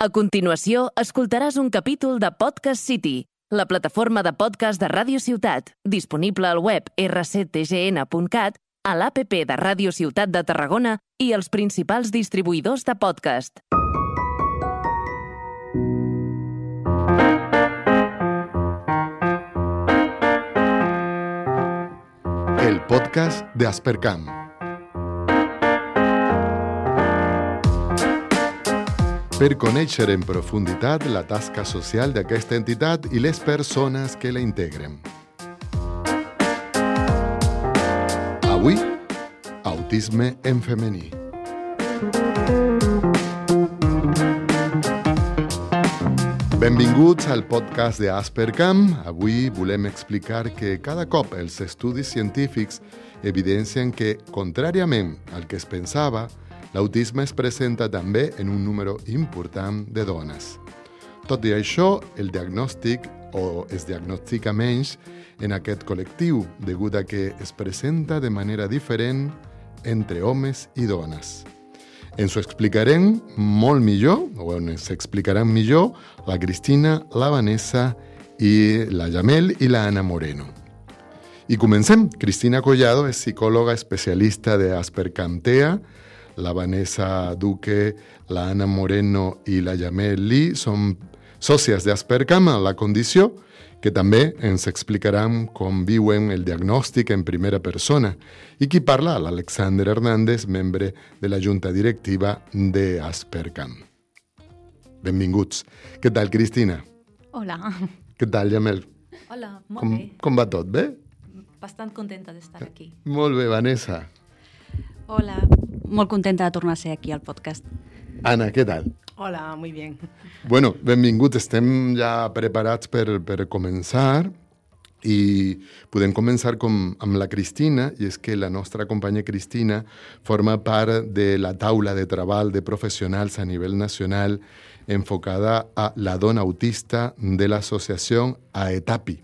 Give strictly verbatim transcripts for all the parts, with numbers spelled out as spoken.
A continuació, escoltaràs un capítol de Podcast City, la plataforma de podcast de Ràdio Ciutat, disponible al web erre ce te ge ene punt cat, a l'A P P de Ràdio Ciutat de Tarragona i els principals distribuïdors de podcast. El podcast de Aspercam. Per conèixer en profunditat la tasca social d'aquesta entitat i les persones que la integren. Avui, autisme en femení. Benvinguts al podcast de Aspercam. Avui volem explicar que cada cop els estudis científics evidencien que, contràriament al que es pensava, l'autisme es presenta també en un número important de dones. Tot i això, el diagnòstic o es diagnostica menys en aquest col·lectiu, degut a que es presenta de manera diferent entre homes i dones. Ens ho explicarem molt millor, o ens explicaran millor, la Cristina, la Vanessa i la Yamel i la Ana Moreno. I comencem. Cristina Collado és psicòloga especialista de Aspercam-TEA. La Vanessa Duque, la Ana Moreno i la Yamel Lee són sòcies d'Aspercam a la condició, que també ens explicaran com viuen el diagnòstic en primera persona. I qui parla? L'Alexander Hernández, membre de la Junta Directiva d'Aspercam. Benvinguts. Què tal, Cristina? Hola. Què tal, Yamel? Hola, molt com, bé. Com va tot, bé? Bastant contenta d'estar aquí. Molt bé, Vanessa. Hola, molt contenta de tornar a ser aquí al podcast. Ana, què tal? Hola, muy bien. Bueno, benvinguts. Estem ja preparats per, per començar i podem començar com amb la Cristina, i és que la nostra companya Cristina forma part de la taula de treball de professionals a nivell nacional enfocada a la dona autista de l'associació AETAPI.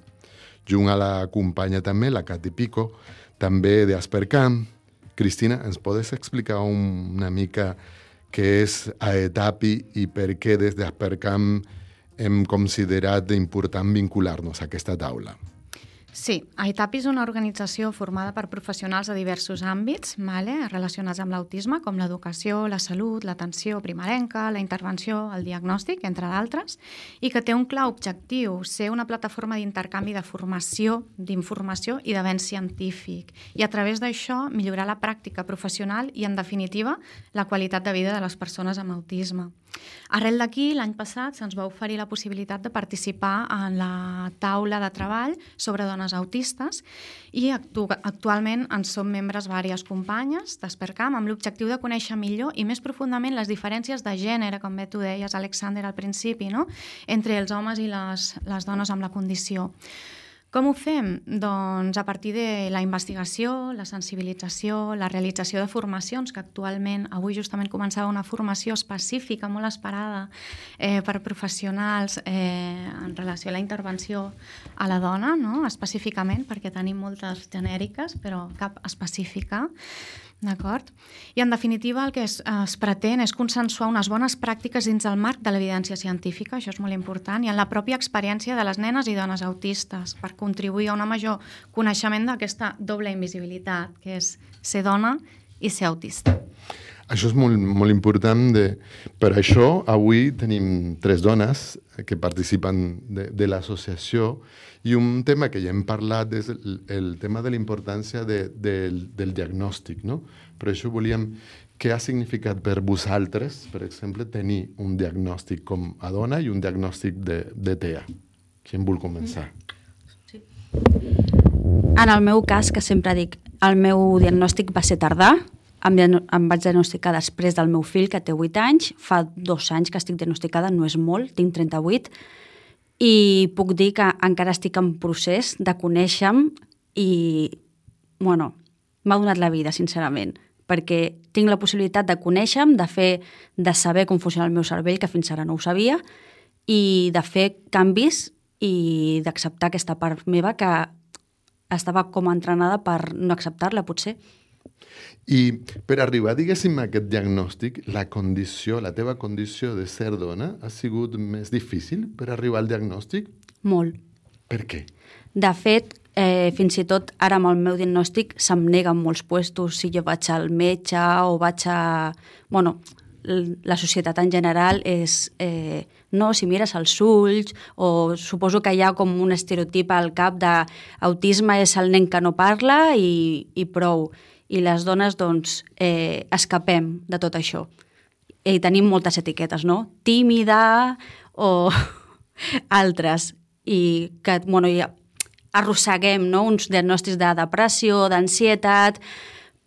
Junt a la companya també, la Cati Pico, també d'Aspercam. Cristina, ens podes explicar un, una mica què és AETAPI i per què des d'Aspercam hem considerat important vincular-nos a aquesta taula? Sí, AETAPI és una organització formada per professionals de diversos àmbits vale, relacionats amb l'autisme, com l'educació, la salut, l'atenció primerenca, la intervenció, el diagnòstic, entre d'altres, i que té un clar objectiu, ser una plataforma d'intercanvi de formació, d'informació i d'avenç científic, i a través d'això millorar la pràctica professional i, en definitiva, la qualitat de vida de les persones amb autisme. Arrel d'aquí, l'any passat se'ns va oferir la possibilitat de participar en la taula de treball sobre dones autistes i actu actualment en som membres diverses companyes d'Aspercam amb l'objectiu de conèixer millor i més profundament les diferències de gènere, com bé tu deies, Alexander, al principi, no? Entre els homes i les, les dones amb la condició. Com ho fem? Doncs a partir de la investigació, la sensibilització, la realització de formacions, que actualment, avui justament començava una formació específica, molt esperada eh, per professionals eh, en relació a la intervenció a la dona, no? Específicament, perquè tenim moltes genèriques, però cap específica. D'acord? I, en definitiva, el que es, es pretén és consensuar unes bones pràctiques dins el marc de l'evidència científica, això és molt important, i en la pròpia experiència de les nenes i dones autistes, per contribuir a un major coneixement d'aquesta doble invisibilitat, que és ser dona i ser autista. Això és molt, molt important. De... Per això, avui tenim tres dones que participen de, de l'associació i un tema que ja hem parlat és el, el tema de la importància de, de, del diagnòstic, no? Per això volíem... Què ha significat per vosaltres, per exemple, tenir un diagnòstic com a dona i un diagnòstic de, de TEA? Qui en vol començar? Sí. En el meu cas, que sempre dic, el meu diagnòstic va ser tardà. Em, em vaig diagnosticar després del meu fill, que té vuit anys. Fa dos anys que estic diagnosticada, no és molt, tinc trenta-vuit. I puc dir que encara estic en procés de conèixer-me i, bueno, m'ha donat la vida, sincerament, perquè tinc la possibilitat de conèixer-me, de fer, de saber com funciona el meu cervell, que fins ara no ho sabia, i de fer canvis i d'acceptar aquesta part meva que estava com entrenada per no acceptar-la, potser. I per arribar, diguéssim, a aquest diagnòstic, la condició, la teva condició de ser dona ha sigut més difícil per arribar al diagnòstic? Molt. Per què? De fet, eh, fins i tot ara amb el meu diagnòstic se'm neguen molts puestos si jo vaig al metge o vaig a... Bueno, la societat en general és... Eh, no, si mires els ulls, o suposo que hi ha com un estereotip al cap d'autisme és el nen que no parla i, i prou. I les dones, doncs, eh, escapem de tot això. I tenim moltes etiquetes, no? Tímida o altres. I que, bueno, ja arrosseguem, no?, uns diagnòstics de depressió, d'ansietat,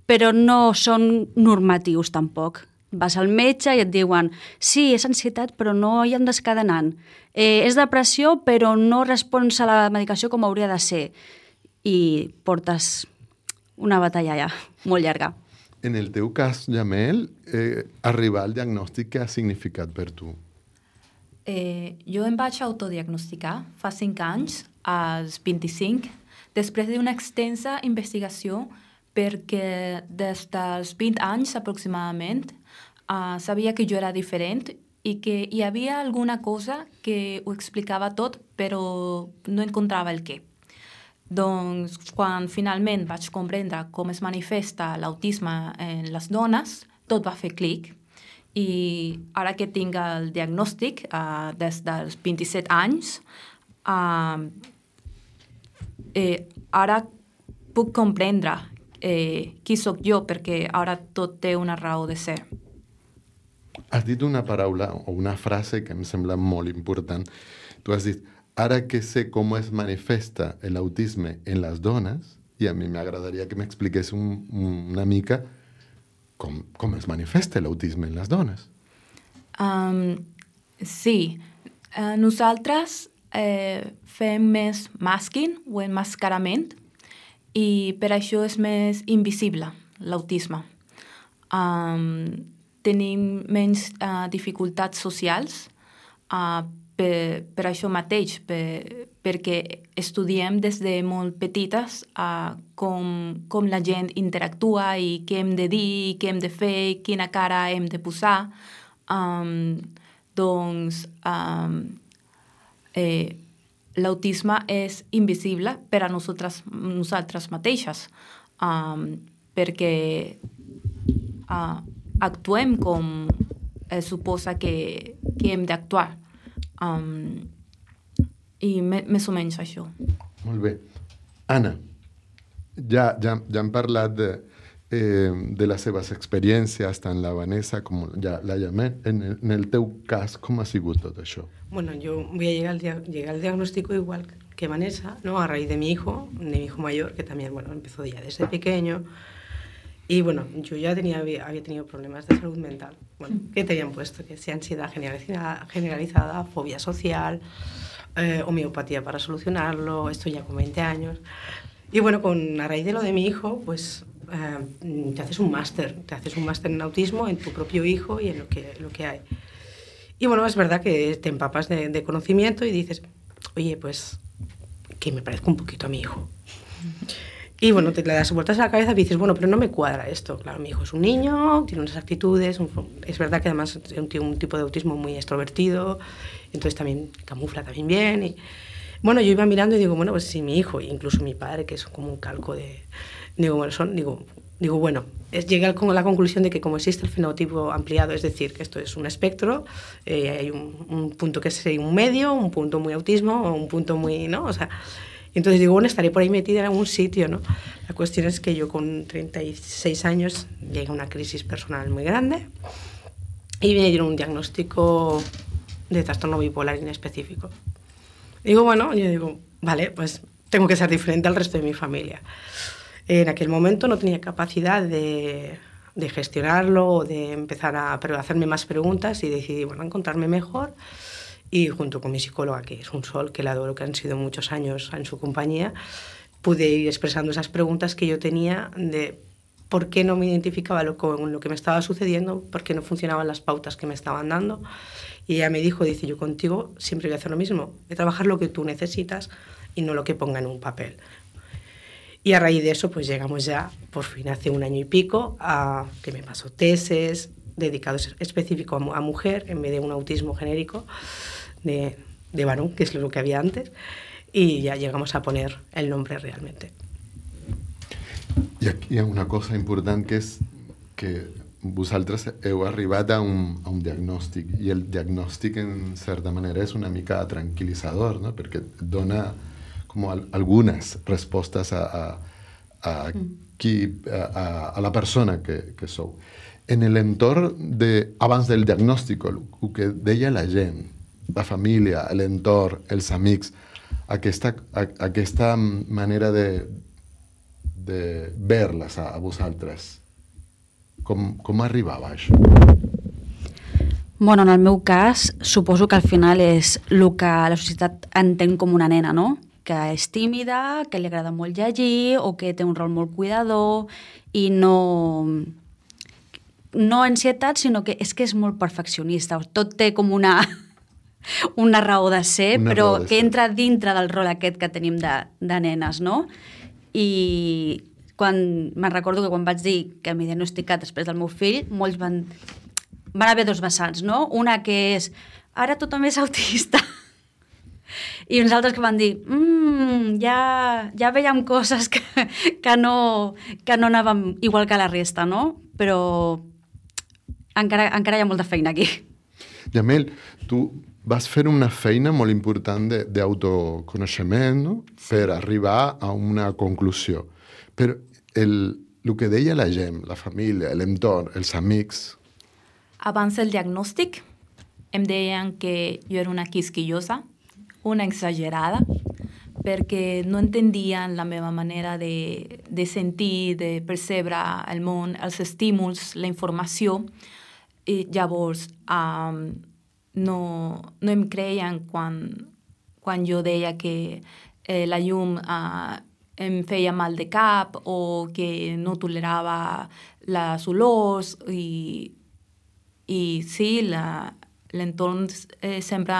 però no són normatius tampoc. Vas al metge i et diuen sí, és ansietat, però no hi hem descadenant. Eh, és depressió, però no respons a la medicació com hauria de ser. I portes una batalla ja, molt llarga. En el teu cas, Jamel, eh, arribar al diagnòstic, què ha significat per tu? Eh, jo em vaig autodiagnosticar fa cinc anys, als vint-i-cinc, després d'una extensa investigació, perquè des dels vint anys aproximadament uh, sabia que jo era diferent i que hi havia alguna cosa que ho explicava tot, però no encontrava el què. Doncs quan finalment vaig comprendre com es manifesta l'autisme en les dones, tot va fer clic. I ara que tinc el diagnòstic, uh, des dels vint-i-set anys, uh, eh, ara puc comprendre eh, qui sóc jo, perquè ara tot té una raó de ser. Has dit una paraula o una frase que em sembla molt important. Tu has dit, ara que sé com es manifesta l'autisme en les dones, i a mi m'agradaria que m'expliqués un, una mica com, com es manifesta l'autisme en les dones. Um, sí, uh, nosaltres eh, fem més masking o emmascarament, i per això és més invisible l'autisme. Um, tenim menys uh, dificultats socials uh, per, per això mateix, per, perquè estudiem des de molt petites uh, com, com la gent interactua i què hem de dir, què hem de fer, quina cara hem de posar. Um, doncs um, eh, l'autisme és invisible per a nosaltres, nosaltres mateixes, um, perquè uh, actuem com es suposa que, que hem d'actuar. Um, I me, més o menys això. Molt bé. Anna, ja, ja, ja hem parlat de, eh, de les seves experiències, tant la Vanessa com ja, la Jamel. En, en el teu cas, com ha sigut tot això? Bueno, yo voy a llegar al, dia llegar al diagnóstico igual que Vanessa, ¿no? A raíz de mi hijo, de mi hijo mayor, que también, bueno, empezó ya desde pequeño. Y bueno, yo ya tenía, había tenido problemas de salud mental. Bueno, ¿qué te habían puesto? Que sea ansiedad generalizada, generalizada fobia social, eh, homeopatía para solucionarlo, esto ya con veinte años. Y bueno, con, a raíz de lo de mi hijo, pues eh, te haces un máster, te haces un máster en autismo, en tu propio hijo y en lo que, lo que hay. Y bueno, es verdad que te empapas de, de conocimiento y dices, oye, pues que me parezco un poquito a mi hijo. Y bueno, te le das vueltas a la cabeza y dices, bueno, pero no me cuadra esto. Claro, mi hijo es un niño, tiene unas actitudes, un, es verdad que además tiene un tipo de autismo muy extrovertido, entonces también camufla también bien. Y, bueno, yo iba mirando y digo, bueno, pues si mi hijo, incluso mi padre, que es como un calco de... Digo, bueno, son, digo, digo bueno, es, llegué a la conclusión de que como existe el fenotipo ampliado, es decir, que esto es un espectro, eh, hay un, un punto que es un medio, un punto muy autismo, o un punto muy, ¿no? O sea... Entonces digo, bueno, estaré por ahí metida en algún sitio, ¿no? La cuestión es que yo con treinta y seis años llegué a una crisis personal muy grande y me dieron un diagnóstico de trastorno bipolar inespecífico. Digo, bueno, yo digo, vale, pues tengo que ser diferente al resto de mi familia. En aquel momento no tenía capacidad de, de gestionarlo o de empezar a, a hacerme más preguntas y decidí, bueno, encontrarme mejor. Y junto con mi psicóloga, que es un sol, que la adoro, que han sido muchos años en su compañía, pude ir expresando esas preguntas que yo tenía de por qué no me identificaba lo, con lo que me estaba sucediendo, por qué no funcionaban las pautas que me estaban dando. Y ella me dijo, dice, yo contigo siempre voy a hacer lo mismo, de trabajar lo que tú necesitas y no lo que ponga en un papel. Y a raíz de eso, pues llegamos ya, por fin, hace un año y pico, a que me pasó tesis dedicados específico a, a mujer, en vez de un autismo genérico de, de varón, que es lo que había antes, y ya llegamos a poner el nombre realmente. I aquí hi ha una cosa important, que és que vosaltres heu arribat a un, a un diagnòstic, i el diagnòstic, en certa manera, és una mica tranquil·litzador, no? Perquè et dona com al, algunes respostes a, a, a, qui, a, a la persona que, que sou. En l'entorn de, abans del diagnòstic, el, el que deia la gent, la família, l'entorn, els amics, aquesta, a, aquesta manera de, de ver-les a, a vosaltres, com, com arribava això? Bueno, en el meu cas, suposo que al final és el que la societat entén com una nena, no? Que és tímida, que li agrada molt llegir o que té un rol molt cuidador i no... no ansietat, sinó que és que és molt perfeccionista. Tot té com una, una raó de ser, una però de que ser. Entra dintre del rol aquest que tenim de, de nenes, no? I quan me'n recordo que quan vaig dir que m'he diagnosticat després del meu fill, molts van, van haver dos vessants, no? Una que és, ara tothom és autista. I uns altres que van dir, mmm, ja, ja veiem coses que, que, no, que no anàvem igual que la resta, no? Però encara, encara hi ha molta feina aquí. Jamel, tu vas fer una feina molt important d'autoconeixement, no? Sí. Per arribar a una conclusió. Però el, el que deia la gent, la família, l'entorn, els amics... Abans del diagnòstic em deien que jo era una quisquillosa, una exagerada, perquè no entendien la meva manera de, de sentir, de percebre el món, els estímuls, la informació. I llavors um, no, no em creien quan, quan jo deia que eh, la llum uh, em feia mal de cap o que no tolerava les olors i, i sí, la, l'entorn eh, sempre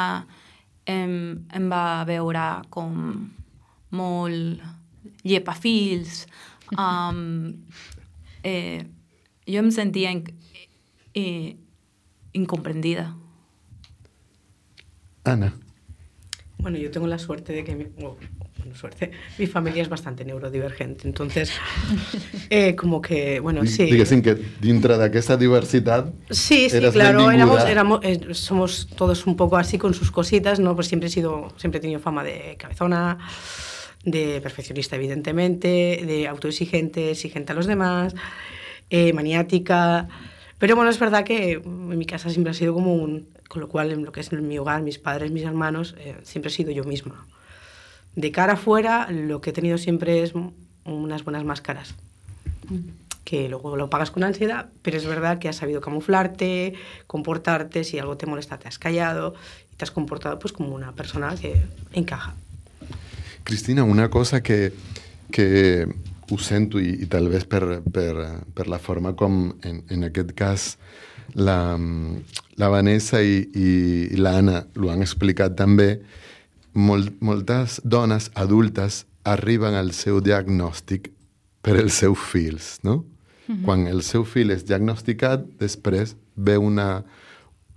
em, em va veure com molt llepafils. Um, eh, jo em sentia in, eh, incomprendida. Ana. Bueno, yo tengo la suerte de que mi, oh, bueno, suerte, mi familia es bastante neurodivergente, entonces eh, como que, bueno, sí. Diguéssim que dintre d'aquesta diversitat sí, sí, eras claro, éramos, éramos, eh, somos todos un poco así con sus cositas, ¿no? Pues siempre he sido, siempre he tenido fama de cabezona, de perfeccionista, evidentemente, de autoexigente, exigente a los demás, eh, maniática. Pero bueno, es verdad que en mi casa siempre ha sido como un... Con lo cual, en lo que es en mi hogar, mis padres, mis hermanos, eh, siempre he sido yo misma. De cara afuera, lo que he tenido siempre es unas buenas máscaras. Que luego lo pagas con ansiedad, pero es verdad que has sabido camuflarte, comportarte, si algo te molesta te has callado y te has comportado pues como una persona que encaja. Cristina, una cosa que, que ho sento i, i tal vez per, per, per la forma com en, en aquest cas la, la Vanessa i, i l'Anna l'ho han explicat també, molt, moltes dones adultes arriben al seu diagnòstic per els seus fills, no? Mm-hmm. Quan el seu fill és diagnosticat, després ve una,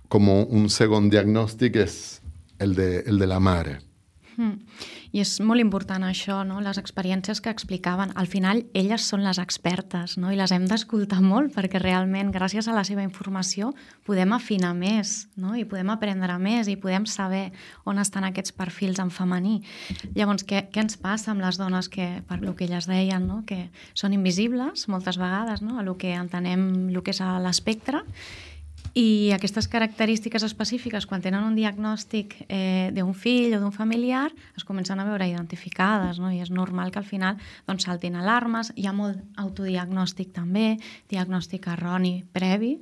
com un segon diagnòstic, és el de, el de la mare. Mm. I és molt important això, no? Les experiències que explicaven. Al final, elles són les expertes, no? I les hem d'escoltar molt perquè realment, gràcies a la seva informació, podem afinar més, no? I podem aprendre més i podem saber on estan aquests perfils en femení. Llavors, què, què ens passa amb les dones que, per el que elles deien, no? Que són invisibles moltes vegades, no? A el que entenem el que és l'espectre. I aquestes característiques específiques, quan tenen un diagnòstic eh, d'un fill o d'un familiar, es comencen a veure identificades, no? I és normal que al final doncs, saltin alarmes. Hi ha molt autodiagnòstic també, diagnòstic erroni previ,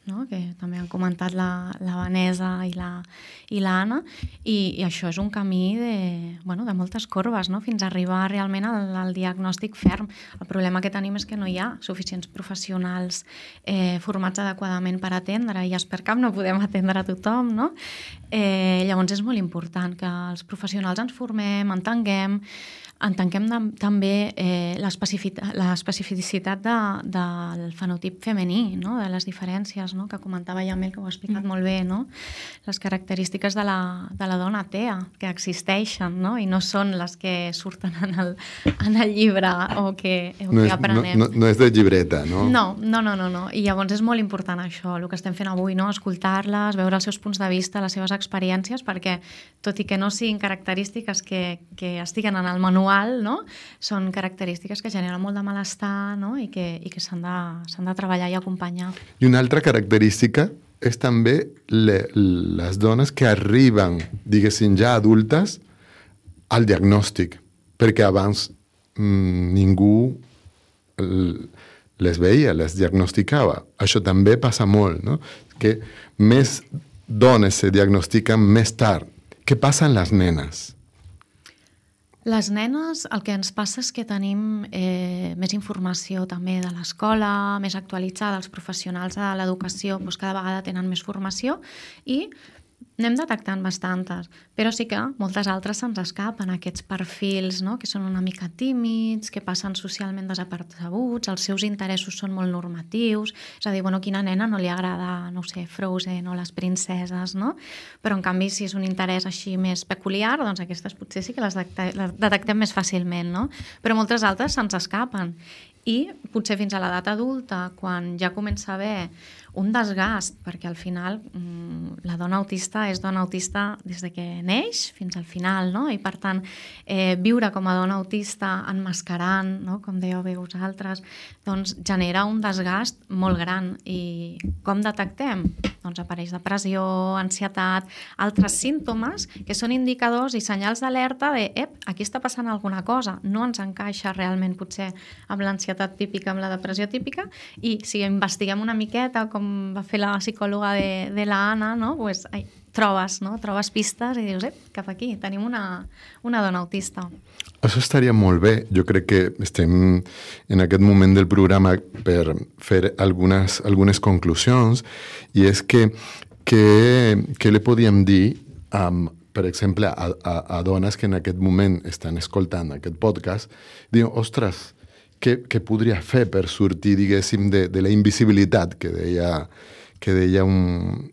no? Que també han comentat la, la Vanessa i la, i l'Anna, i, i això és un camí de, bueno, de moltes corbes, no? Fins a arribar realment al, al diagnòstic ferm. El problema que tenim és que no hi ha suficients professionals eh, formats adequadament per atendre, i a Aspercam no podem atendre a tothom, no? Eh, llavors és molt important que els professionals ens formem, entenguem, entenguem de, també eh, l'especificitat de, del fenotip femení, no? De les diferències, no? Que comentava Yamel, que ho ha explicat mm. molt bé, no? Les característiques de la, de la dona tea, que existeixen, no? I no són les que surten en el, en el llibre o que, o no que és, aprenem. No, no, no és de llibreta, no? No, no, no, no, no. I llavors és molt important això, el que estem fent avui, no? Escoltar-les, veure els seus punts de vista, les seves experiències, perquè tot i que no siguin característiques que, que estiguen en el manual, no? Són característiques que generen molt de malestar, no? I que, i que s'han de, s'han de treballar i acompanyar. I una altra característica és també le, les dones que arriben, diguéssim, ja adultes al diagnòstic, perquè abans mmm, ningú les veia, les diagnosticava. Això també passa molt, no? Que més dones se diagnostiquen més tard. Què passa amb les nenes? Les nenes, el que ens passa és que tenim eh, més informació també de l'escola, més actualitzada, els professionals de l'educació doncs cada vegada tenen més formació i anem detectant bastantes, però sí que moltes altres se'ns escapen, aquests perfils, no? Que són una mica tímids, que passen socialment desapercebuts, els seus interessos són molt normatius, és a dir, bueno, quina nena no li agrada, no ho sé, Frozen o les princeses, no? Però en canvi, si és un interès així més peculiar, doncs aquestes potser sí que les detectem més fàcilment, no? Però moltes altres se'ns escapen. I potser fins a l'edat adulta, quan ja comença a haver un desgast, perquè al final mmm, la dona autista és dona autista des de que neix fins al final, no? I per tant, eh, viure com a dona autista emmascarant, no? Com dèieu bé vosaltres, doncs genera un desgast molt gran. I com detectem? Doncs apareix depressió, ansietat, altres símptomes que són indicadors i senyals d'alerta de ep, aquí està passant alguna cosa, no ens encaixa realment potser amb l'ansietat típica, amb la depressió típica, i si investiguem una miqueta, com va fer la psicòloga de, de la Anna, no? Pues, ai, trobes, no? Trobes pistes i dius, ep, cap aquí, tenim una, una dona autista. Això estaria molt bé. Jo crec que estem en aquest moment del programa per fer algunes, algunes conclusions, i és que què li podíem dir amb per exemple, a, a, a dones que en aquest moment estan escoltant aquest podcast, diuen, ostres, què, què podria fer per sortir, diguéssim, de, de la invisibilitat que deia, que deia un,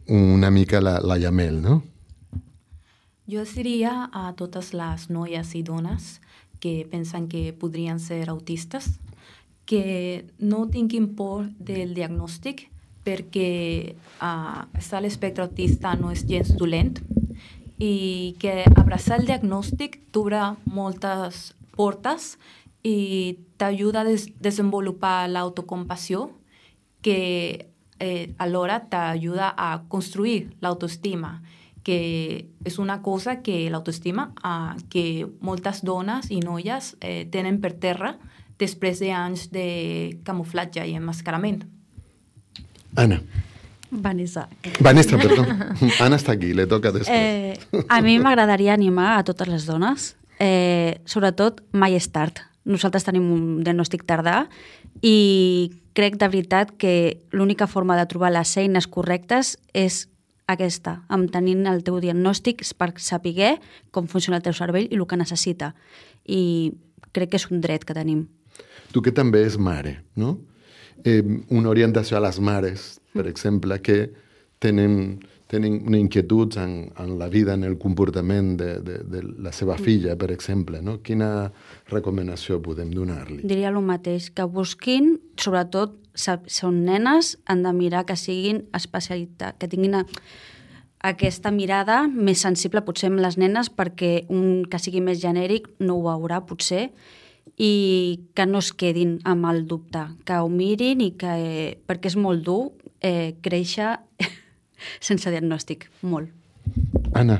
una mica la, la Yamel, no? Jo diria a totes les noies i dones que pensen que podrien ser autistes que no tinguin por del diagnòstic, perquè uh, estar a l'espectre autista no és gens dolent i que abraçar el diagnòstic t'obre moltes portes i t'ajuda a des desenvolupar l'autocompassió que eh, alhora t'ajuda a construir l'autoestima, que és una cosa que l'autoestima uh, que moltes dones i noies eh, tenen per terra després d'anys de camuflatge i emmascarament. Ana. Vanessa. Vanessa, perdó. Ana està aquí, le toca després. Eh, a mi m'agradaria animar a totes les dones, eh, sobretot mai és tard. Nosaltres tenim un diagnòstic tardà i crec de veritat que l'única forma de trobar les eines correctes és aquesta, amb tenint el teu diagnòstic per saber com funciona el teu cervell i el que necessita. I crec que és un dret que tenim. Tu que també és mare, no? Eh, una orientació a les mares, per exemple, que tenen, tenen una inquietud en, en la vida, en el comportament de, de, de la seva filla, per exemple, no? Quina recomanació podem donar-li? Diria el mateix, que busquin, sobretot, són nenes, han de mirar que siguin especialitat, que tinguin aquesta mirada més sensible potser amb les nenes, perquè un que sigui més genèric no ho veurà potser, i que no es quedin amb el dubte, que ho mirin i que, perquè és molt dur eh, créixer sense diagnòstic, molt. Anna,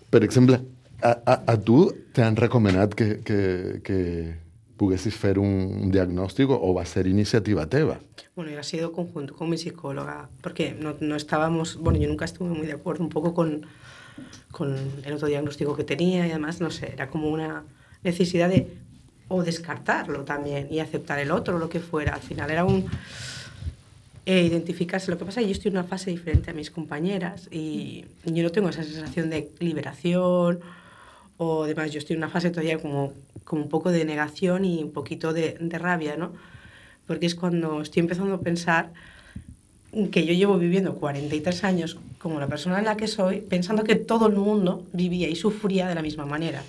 per exemple, a, a, a tu t'han recomanat que, que, que poguessis fer un diagnòstic o va ser iniciativa teva? Bueno, ha sido conjunto con mi psicóloga, porque no, no estábamos, bueno, yo nunca estuve muy de acuerdo un poco con, con el autodiagnóstico que tenía y además, no sé, era como una necesidad de o descartarlo también y aceptar el otro, lo que fuera. Al final era un... eh, identificarse. Lo que pasa es que yo estoy en una fase diferente a mis compañeras y yo no tengo esa sensación de liberación o demás. Yo estoy en una fase todavía como, como un poco de negación y un poquito de, de rabia, ¿no? Porque es cuando estoy empezando a pensar que yo llevo viviendo cuarenta y tres años como la persona en la que soy, pensando que todo el mundo vivía y sufría de la misma manera.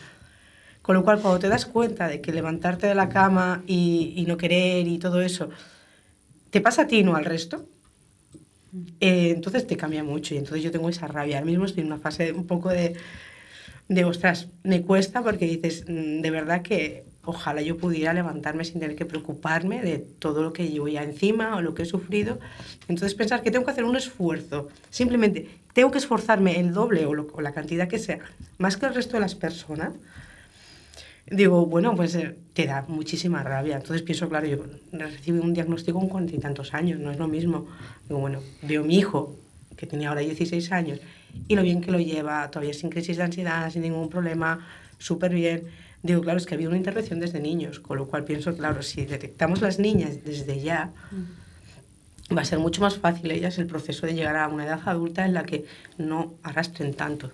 Con lo cual, cuando te das cuenta de que levantarte de la cama y, y no querer y todo eso te pasa a ti y no al resto, eh, entonces te cambia mucho. Y entonces yo tengo esa rabia. Ahora mismo estoy en una fase un poco de, de ostras, me cuesta porque dices, de verdad que ojalá yo pudiera levantarme sin tener que preocuparme de todo lo que llevo ya encima o lo que he sufrido. Entonces pensar que tengo que hacer un esfuerzo, simplemente tengo que esforzarme el doble o, lo, o la cantidad que sea, más que el resto de las personas. Digo, bueno, pues eh, te da muchísima rabia. Entonces pienso, claro, yo recibí un diagnóstico con cuarenta y tantos años, no es lo mismo. Digo, bueno, veo a mi hijo, que tenía ahora dieciséis años, y lo bien que lo lleva, todavía sin crisis de ansiedad, sin ningún problema, súper bien. Digo, claro, es que ha habido una intervención desde niños, con lo cual pienso, claro, si detectamos las niñas desde ya, va a ser mucho más fácil ellas el proceso de llegar a una edad adulta en la que no arrastren tanto.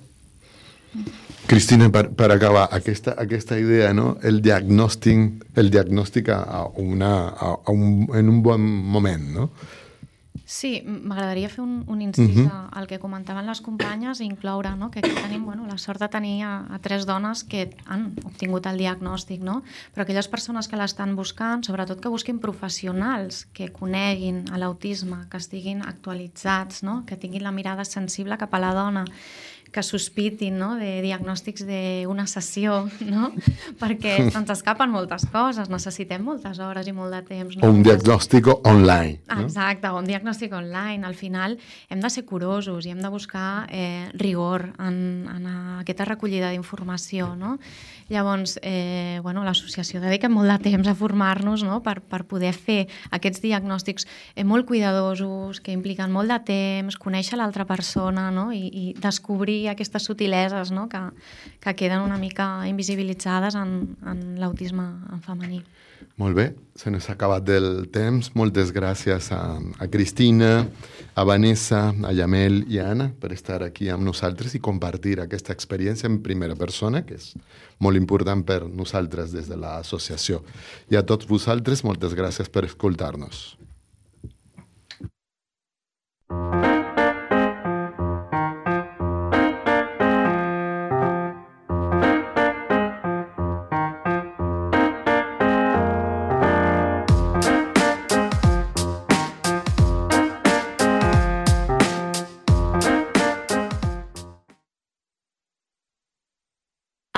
Cristina, per, per acabar, aquesta, aquesta idea, no? el diagnòstic, el diagnòstic a una, a, a un, en un bon moment, no? Sí, m'agradaria fer un, un incís uh-huh. al que comentaven les companyes i incloure, no?, que aquí tenim, bueno, la sort de tenir a, a tres dones que han obtingut el diagnòstic, no? Però aquelles persones que l'estan buscant, sobretot que busquin professionals que coneguin l'autisme, que estiguin actualitzats, no?, que tinguin la mirada sensible cap a la dona, que sospitin, no?, de diagnòstics d'una sessió, no?, perquè ens escapen moltes coses, necessitem moltes hores i molt de temps. No? O un diagnòstic online. No? Exacte, o un diagnòstic online. Al final hem de ser curosos i hem de buscar eh, rigor en, en aquesta recollida d'informació, no? Llavors, eh, bueno, l'associació dedica molt de temps a formar-nos, no?, per, per poder fer aquests diagnòstics eh, molt cuidadosos, que impliquen molt de temps, conèixer l'altra persona, no?, i, i descobrir aquestes sutileses, no?, que, que queden una mica invisibilitzades en, en l'autisme en femení. Molt bé, se n'ha acabat del temps. Moltes gràcies a, a Cristina, a Vanessa, a Yamel i a Anna per estar aquí amb nosaltres i compartir aquesta experiència en primera persona, que és molt important per nosaltres des de l'associació. I a tots vosaltres, moltes gràcies per escoltar-nos.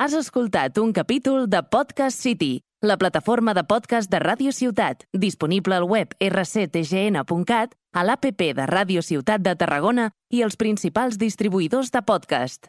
Has escoltat un capítol de Podcast City, la plataforma de podcast de Ràdio Ciutat, disponible al web erre ce te ge ene punt cat, a l'A P P de Ràdio Ciutat de Tarragona i els principals distribuïdors de podcast.